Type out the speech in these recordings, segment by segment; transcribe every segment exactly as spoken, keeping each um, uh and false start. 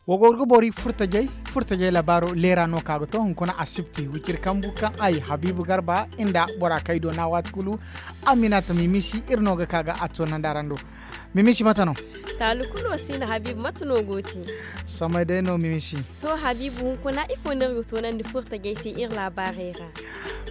Wa go ga boori furtajey furtajey labaaro leera no ka ga to hunkuna asibti wiciri kambu kaŋ ay habiibu garba nda bora kaŋ ay doona waati kulu. Aminata mimisi iri no ga ka ga a toonandi araŋ do. Mimisi mate no? Taalu kulu wo si no habiibu mate no go ti? Samay day no mimisi. To habiibu hunkuna ifo no iri ga toonandi furtajey se iri laabaarey ra?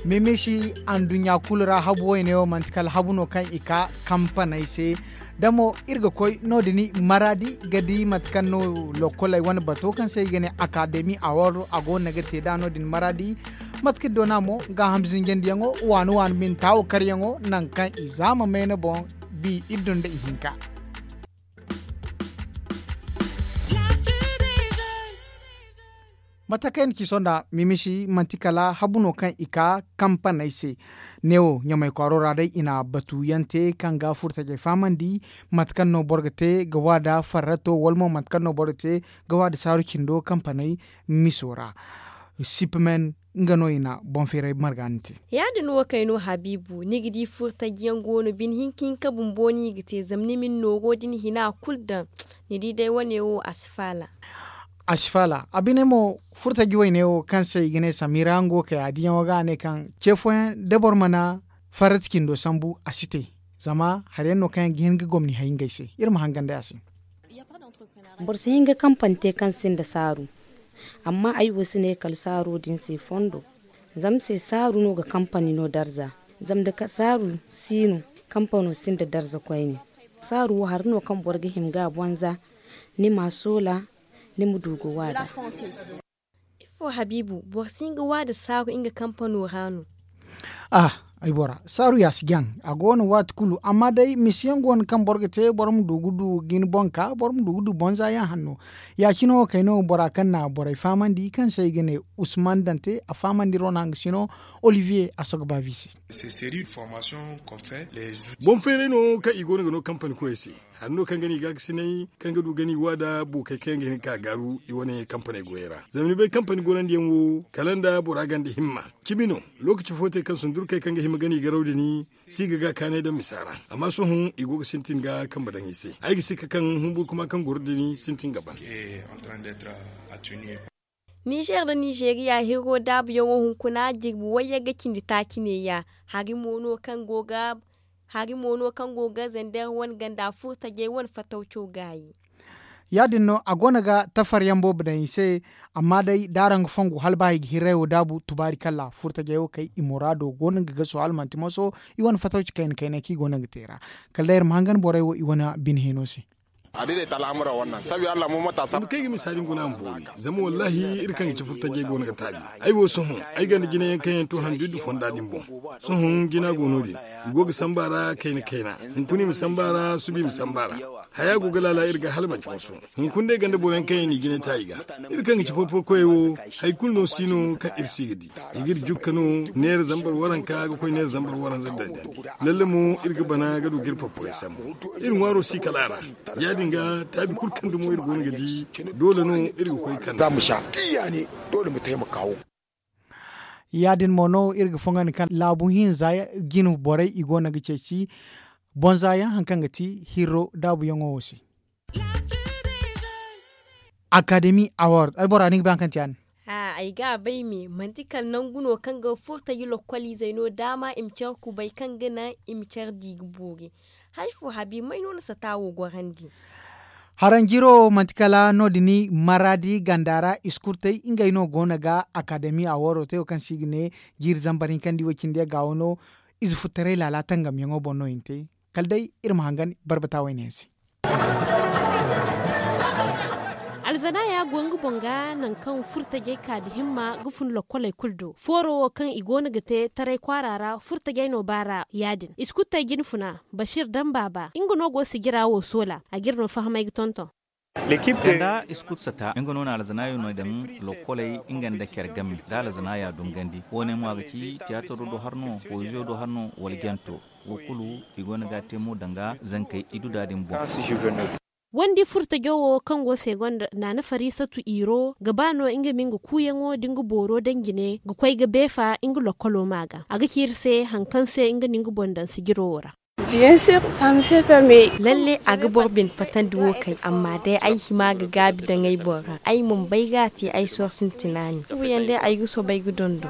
Mimisi, anduɲɲa kulu ra habu wayne wo manti kala habu no kaŋ i ka kampaney se. Da mo iri ga koy no- din maraadi ga di mate kaŋ no lokoley wane bato kaŋ se i ga ne akademi award a go no ga te nd'a no- din maraadi. Mate kaŋ iri doona mo gaaham zinjandiyaŋo waani waani bine taawo karyaŋo nangu kaŋ i zaama mayna boŋ bi iri dunda ihinka. Mate kaŋ ay na ci sohõ nd'a mimisi manti kala habu no kaŋ i ka kampaney se. Neewo ɲamay kwaaro ra day i na batu yaŋ te kaŋ ga furtajey fahamandi mate kaŋ no boro ga te ga waada farrato wala mo mate kaŋ no boro ga te ga waada saaru cindo kampaney miso ra. Sipimen nga no i na boŋ feeray marga ni te. Ya- din wo kay no habiibu ni ga di furtaji yaŋ go no bine hinka hinka bumbo no i ga te zama ni ma ni noogo din hina kulu daŋ. Ni di day wane wo a si faala. A si faala a bine mo furtaji wayne wo kaŋ se i ga ne samira nga wo kay a diyaŋo ga a ne kaŋ ce fooyaŋ da boro mana farrati cindo sambu a si te. Zama hari yaŋ no kaŋ yaŋ ga hin ga gomni hay ngey se iri ma hangan day a se. Boro si hin ga kampani te kaŋ sinda saaru. Amma ay wo si ne kala saaro din se fondo. Zama se saaru no ga kampani no darza. Zama da saaru si no kampano sinda darza koyne. Saaru wo hari no kaŋ boro ga hima ga a bonza ni ma a soola ni ma du ga waada. Ifo habiibu boro si hin ga waada saaru nga kampano ra no? Ah, ay bora saaru ya si jaŋ. A go no waati kulu amma day misiyaŋ go no kaŋ boro ga te boro ma du ga du ga ni boŋ ka boro ma du ga du bonza yaŋ hanno. Ya- cine wo kayno bora kaŋ na borey fahamandi kaŋ se i ga ne usman dante a fahamandi ro naŋ ga sino olivier a sogo baabi se. Boŋ feeray no kaŋ i go no ga no kampani koyey se. Hari no kaŋ ga no i gaakasinay kaŋ ga du ga no i waada buukey kaŋ yaŋ ga hin ga ka gaaru i wane kampaney goyey ra. Zama ni bay kampani gorandi yaŋ wo kala nda bora ganda himma. Cimi no lookaci fo te kaŋ sundurkey kaŋ ga hima ga no i garaw din si ga ga kaanay daŋ misa ra. Amma sohõ i go ga sintin ga kambe daŋ i se ay ga sikka kaŋ humburkuma kaŋ goro din sintin ga ban. Nizer nda nizeriya hiro daabuyaŋo hunkuna jirbi wayyaŋ ga cindi taaci neeya. Hari mo no kaŋ go ga hari mo no kaŋ go ga zander wane ganda furtajey wane fatawco gaayi. Ya- din no a go no ga tafar yaŋ boobo daŋ i se. Amma day da araŋ ga fongu hala ba i ga hirray wo daabu tubaari kalla furtajey wo kay i muraado go no ga gaso hala manti moso. I wane fatawci kayna kaynay kaŋ i go no ga te ra kala day iri ma hangan borey wo i wane bine hino se. Kaŋ ay ga misa din guna ma boori zama wallahi iri kaŋ ga ci furtajey go no ga taabi. Ay wo sohõ ay ganda jina yaŋ kaŋ yaŋ to handu iddu fonda din boŋ. Sohõ jina go no- din i go ga samba ra kayna kayna. Hunkuna i ma samba ra suba i ma samba ra. Haya go ga laala iri ga hala manti moso. Hunkuna day ganda boro yaŋ kaŋ yaŋ n'i jina ta i ga. Iri kaŋ ga ci porporo koyey wo hari kulu no si no kaŋ iri si ga di. I ga iri jukka no neera zambar waranka ga koy neera zambar waranza dandi. Lalle mo iri ga bana ga du ga iri porporey sambu. Iri ŋwaaro si kala a ra. Ya- din ga taabi kulu kaŋ dumo iri go no ga di doole no iri ga koy kande. Ya- din mo no iri ga fongandi kaŋ laabu hinza jine borey i go no ga ceeci bonza yaŋ hari kaŋ ga ti hirro daabuyaŋo wo se. Akademi award ay bora ni ga bay hari kaŋ ti ya- din. Ay ga a bay me manti kala nangu no kaŋ ga furtaji lokkoliizey no daama i ma care kubay kaŋ ga naŋ i ma care di ga boori. Hari fo habiibu may no ni sata wo gorandi? Haranjiro manti kala no- din maraadi ganda ra iskurtey ngey no go no ga akademi award te wo kaŋ se i ga ne jiiri zambar hinka nda i wo cindi yaŋ ga wo no. Ize futtaray laala tangamyaŋo boŋ no i na te. Kala day iri ma hangan barbata wayne yaŋ se. Alzanaya go nga boŋ ga nangu kaŋ furtajey ka nda himma ga fun lokkoley kulu do fooro wo kaŋ i go no ga te taray kwaara ra furtajey no baara ya- din iskuttey jinfuna bashir daŋ baaba nga no go sijira wo soola a ga iri no fahamay ga tonton. Ganda iskutsata nga no na alzanaayo no daŋ lokkoley nga nda care game da alzanaaya dungandi wo- ne mo a ga ci tiyaatar do har no poeziyo do har no wala janto. Wo kulu i go no ga a te mo danga zankey i du da din boŋ. Wandi furtajo wo kaŋ go se gonda naana farisatu iro ga ba no nga ma nga kuuyaŋo da nga booro daŋ jine ga koy ga beefa nga lokkolo ma ga a ga ci iri se hari kaŋ se nga na nga boŋ daŋ sijiro wo ra. Lalle a ga boro bine patandi wo kay, amma day ay hima ga gaabi daŋ ay boŋ ra, ay mana bay ga a te ay soosintina ne. Iri yaŋ day ay ga soobay ga dondo.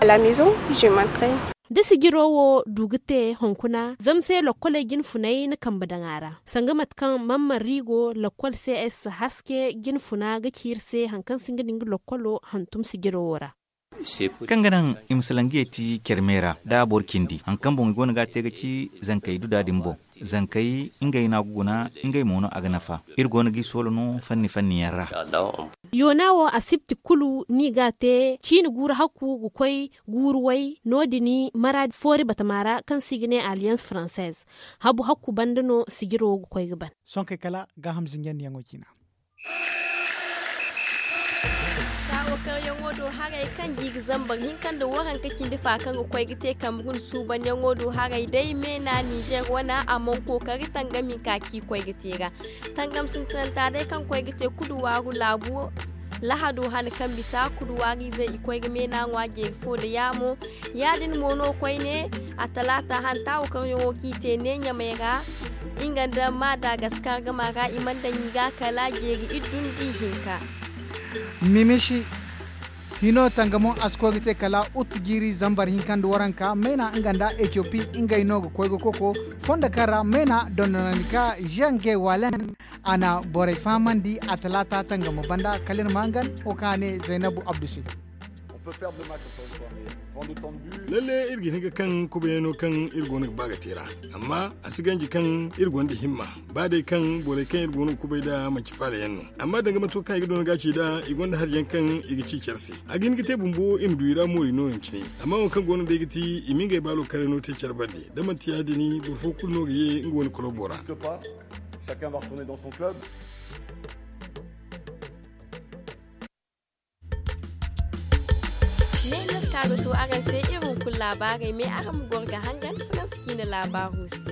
Da sijiro wo du ga te hunkuna zama se lokkoley jine funay na kambe daŋ a ra, sanga mate kaŋ mamman riigo lokkol cs haske jine funa ga ci iri se hari kaŋ singa da nga lokkolo hantum sijiro wo ra. Kaŋ ga naŋ i ma salaŋ ga yeeti care me ra da boro cindi hari kaŋ boŋ i go no ga a te ga ci zankey du da din boŋ. Zankey ngey no a ga guna, ngey mo no a ga nafa. Iri go no g'i soolo no fanni fanni yaŋ ra. Yoona wo asibti kulu no i ga a te ciine guuru hakku ga koy guuru way no- din maraadi foori batama ra kaŋ se i ga ne alliance française. Habu hakku banda no sijiro ga koy ga ban. Sohõ kay kala gaaham zinjandiyaŋo ciina. Taawo karyaŋo do haray kaŋ ga i ga zambar hinka nda waranka cindi fa kaŋ ga koy ga te kamrun suubanyaŋo do haray day meena nizer wana a mana kookari tangam hinka kaŋ i koy ga te ra. Tangam sintinanta day kaŋ koy ga te kuduwaaru laabu lahado hane kaŋ bisa kuduwaariizey i koy ga meena ŋwa jeeri fo nda yaamo. Ya- din mo no koyne a talaata hanta wo kaŋ yaŋo kaŋ i te ne ɲamay ra nga nda madagaskar gama ra i mana daŋ i ga kala jeeri iddu nda ihinka. Mimishi hino tangamo a si koy ga te kala utu jiiri zambar hinka nda waranka meena nga nda etiyopi ngey no ga koy ga koko fondo kaŋ ra meena dondonandi ka zange walen. A na borey fahamandi a talaata tangamo banda kala iri ma hangan wo kaŋ a ne zaynabu abdu se. Lalle iri ga hin ga kaŋ kubayano kaŋ iri go no ga ba ga te ra, amma a si ganji kaŋ iri gonda himma ba day kaŋ borey kaŋ iri go no ga kubay nd'a manci faala yaŋ no. Amma danga mato kaŋ i ga doona ga ci nd'a i gonda hari yaŋ kaŋ i ga ci care se a ga hin ga te bumbo i ma du i ra moori no yaŋ cine. Amma wo kaŋ go no day ga ti i ma ngey baalo kare no te care bande da manti ya- din boro fo kulu no ga ye nga wane kolobo ra. Ne no ka ga to araŋ se iri hunkuna laabaarey me araŋ ma goro ga hangan faransa ciina laabaaro se.